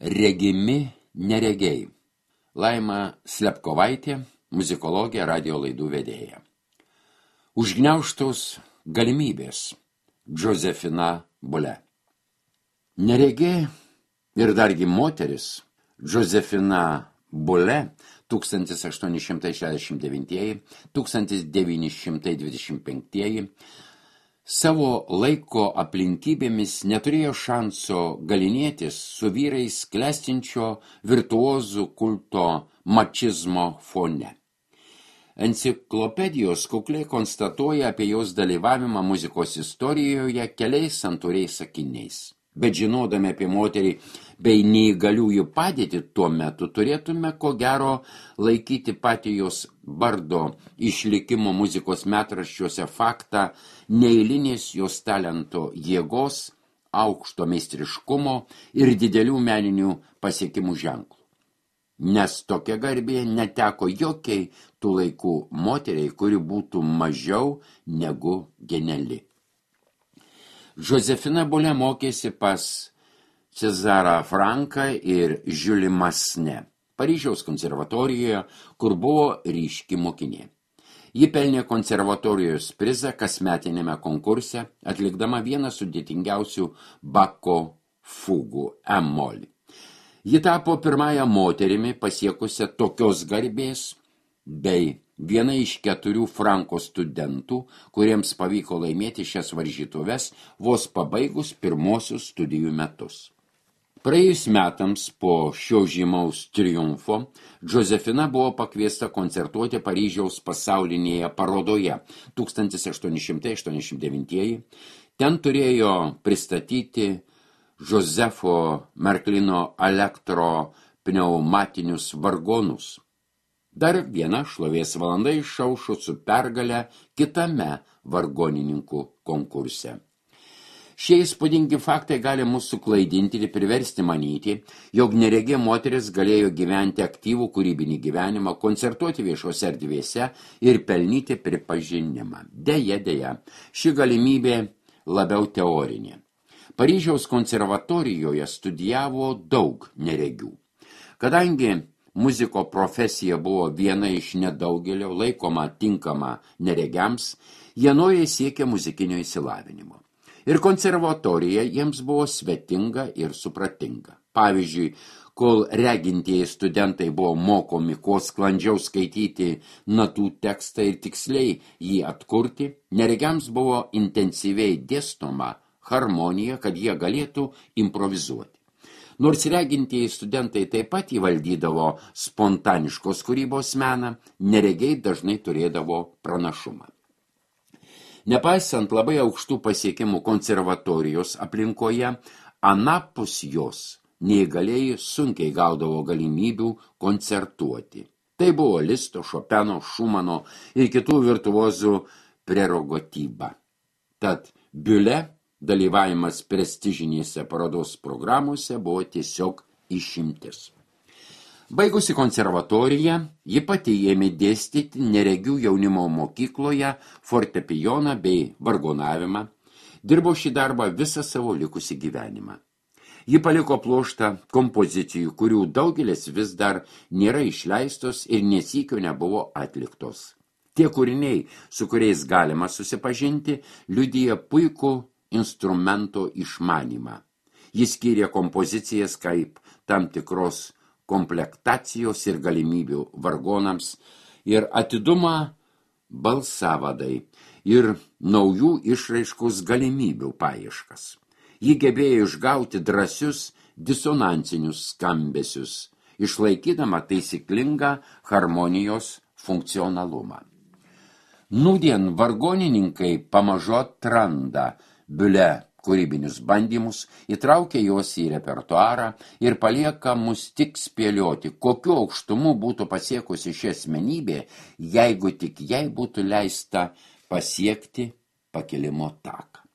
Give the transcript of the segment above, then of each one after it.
Regimi neregiai. Laima Slepkovaitė, muzikologė, radio laidų vedėja. Užgniaužtos galimybės. Džozefina Bule. Neregė ir dargi moteris Džozefina Bule 1869–1925 savo laiko aplinkybėmis neturėjo šanso galinėtis su vyrais klestinčio virtuozų kulto mačizmo fone. Enciklopedijos kukliai konstatuoja apie jos dalyvavimą muzikos istorijoje keliais santūriais sakiniais. Bet žinodami apie moterį bei neįgaliųjų padėtį tuo metu turėtume ko gero laikyti patį jos bardo išlikimo muzikos metraščiuose faktą neeilinės jos talento jėgos, aukšto meistriškumo ir didelių meninių pasiekimų ženklų. Nes tokia garbė neteko jokiai tų laikų moteriai, kuri būtų mažiau negu geniali. Džozefina Bule mokėsi pas Cezarą Franką ir Žiulį Masne, Paryžiaus konservatorijoje, kur buvo ryški mokinė. Ji pelnė konservatorijos prizą kasmetinėme konkurse, atlikdama vieną sudėtingiausių Bako fugų E-mol. Ji tapo pirmąją moterimi pasiekusią tokios garbės bei viena iš 4 Franko studentų, kuriems pavyko laimėti šias varžytuves vos pabaigus pirmosius studijų metus. Praėjus metams po šio žymaus triumfo, Džozefina buvo pakviesta koncertuoti Paryžiaus pasaulinėje parodoje 1889. Ten turėjo pristatyti Josefo Merklino elektro pneumatinius vargonus. Dar viena šlovės valanda išaušo su pergale kitame vargonininkų konkurse. Šie įspūdingi faktai gali mus suklaidinti ir priversti manyti, jog neregė moteris galėjo gyventi aktyvų kūrybinį gyvenimą, koncertuoti viešose erdvėse ir pelnyti pripažinimą. Deja, ši galimybė labiau teorinė. Paryžiaus konservatorijoje studijavo daug neregių. Kadangi muziko profesija buvo viena iš nedaugelio laikoma tinkama neregiams, jie noriai siekė muzikinio išsilavinimo. Ir konservatorija jiems buvo svetinga ir supratinga. Pavyzdžiui, kol regintieji studentai buvo mokomi kuo sklandžiau skaityti natų tekstą ir tiksliai jį atkurti, neregiams buvo intensyviai dėstoma harmonija, kad jie galėtų improvizuoti. Nors regintieji studentai taip pat įvaldydavo spontaniškos kūrybos meną, neregiai dažnai turėdavo pranašumą. Nepaisant labai aukštų pasiekimų konservatorijos aplinkoje, anapus jos neįgalieji sunkiai gaudavo galimybių koncertuoti. Tai buvo Listo, Šopeno, Šumano ir kitų virtuozų prerogatyva. Tad Bule dalyvavimas prestižinėse parodos programuose buvo tiesiog išimtis. Baigusi konservatoriją, ji pati ėmė dėstyti neregių jaunimo mokykloje fortepijoną bei vargonavimą, dirbo šį darbą visą savo likusį gyvenimą. Ji paliko pluoštą kompozicijų, kurių daugelis vis dar nėra išleistos ir nesykio nebuvo atliktos. Tie kūriniai, su kuriais galima susipažinti, liudija puikų instrumento išmanymą. Jis skyrė kompozicijas kaip tam tikros komplektacijos ir galimybių vargonams ir atidumą balsavadai ir naujų išraiškos galimybių paieškas. Ji gebėjo išgauti drąsius disonansinius skambesius, išlaikydama taisyklingą harmonijos funkcionalumą. Nūdien vargonininkai pamažu atranda Bule kūrybinius bandymus, įtraukia juos į repertuarą ir palieka mus tik spėlioti, kokiu aukštumu būtų pasiekusi ši asmenybė, jeigu tik jai būtų leista pasiekti pakilimo taką.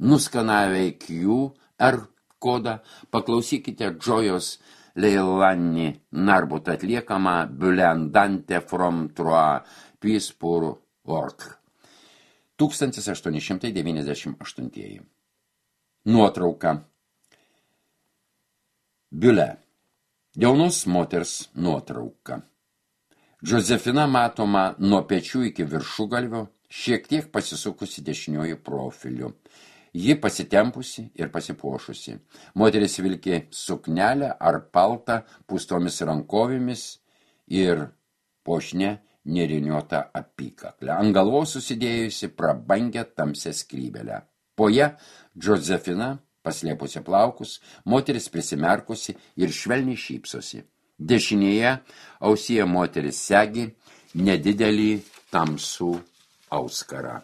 Nuskanavę QR kodą, paklausykite Džojos Leilani Narbut atliekamą Bule Andante from Trois Pieds pour Orque. 1898. Nuotrauka. Biule. Jaunos moters nuotrauka. Džozefina matoma nuo pečių iki viršugalvio, šiek tiek pasisukusi dešiniuoju profiliu. Ji pasitempusi ir pasipuošusi. Moteris vilkė suknelę ar paltą pūstomis rankovėmis ir puošnia nėriniuota apykaklę. Ant galvos susidėjusi prabangę tamsią skrybelę. Po ją Džozefina, paslėpusi plaukus, moteris prisimerkusi ir švelniai šypsosi. Dešinėje ausyje moteris segi nedidelį tamsų auskarą.